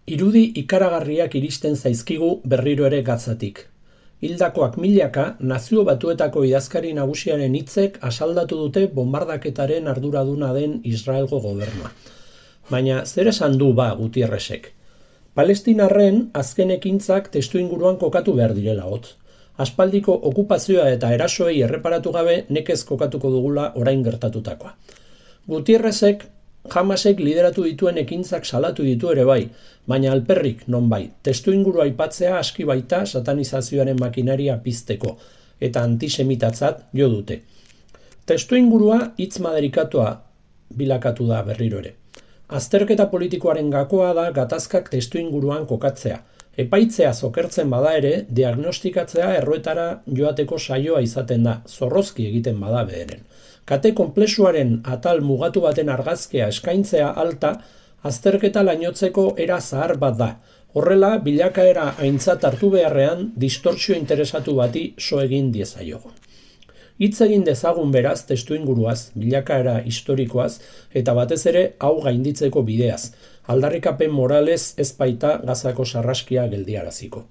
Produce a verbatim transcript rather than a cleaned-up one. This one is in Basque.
Irudi ikaragarriak iristen zaizkigu berriro ere Gazatik. Hildakoak milaka, Nazio Batuetako idazkari nagusiaren hitzek asaldatu dute bombardaketaren arduraduna den Israelgo gobernua. Baina zer esan du ba Gutierrezek? Palestinarren azken ekintzak testuinguruan kokatu behar direla hotz. Aspaldiko okupazioa eta erasoei erreparatu gabe nekez kokatuko dugula orain gertatutakoa. Gutierrezek Hamasek lideratu dituen ekintzak salatu ditu ere bai, baina alperrik nonbait, testuinguru aipatzea aski baita satanizazioaren makinaria pizteko, eta antisemitatzat jo dute. Testuingurua hitz maderikatua bilakatu da berriro ere. Azterketa politikoaren gakoa da gatazkak testuinguruan kokatzea. Epaitzea zokertzen bada ere, diagnostikatzea erroetara joateko saioa izaten da, zorrozki egiten bada beheren. Kate konplexuaren atal mugatu baten argazkea eskaintzea alta, azterketa lainotzeko era zahar bat da. Horrela, bilakaera aintzat hartu beharrean, distortsio interesatu bati so egin diezaiogun. Hitz egin dezagun beraz testuinguruaz, bilakaera historikoaz, eta batez ere hau gainditzeko bideaz. Aldarrikapen moralez ez baita Gazako sarraskia geldiaraziko.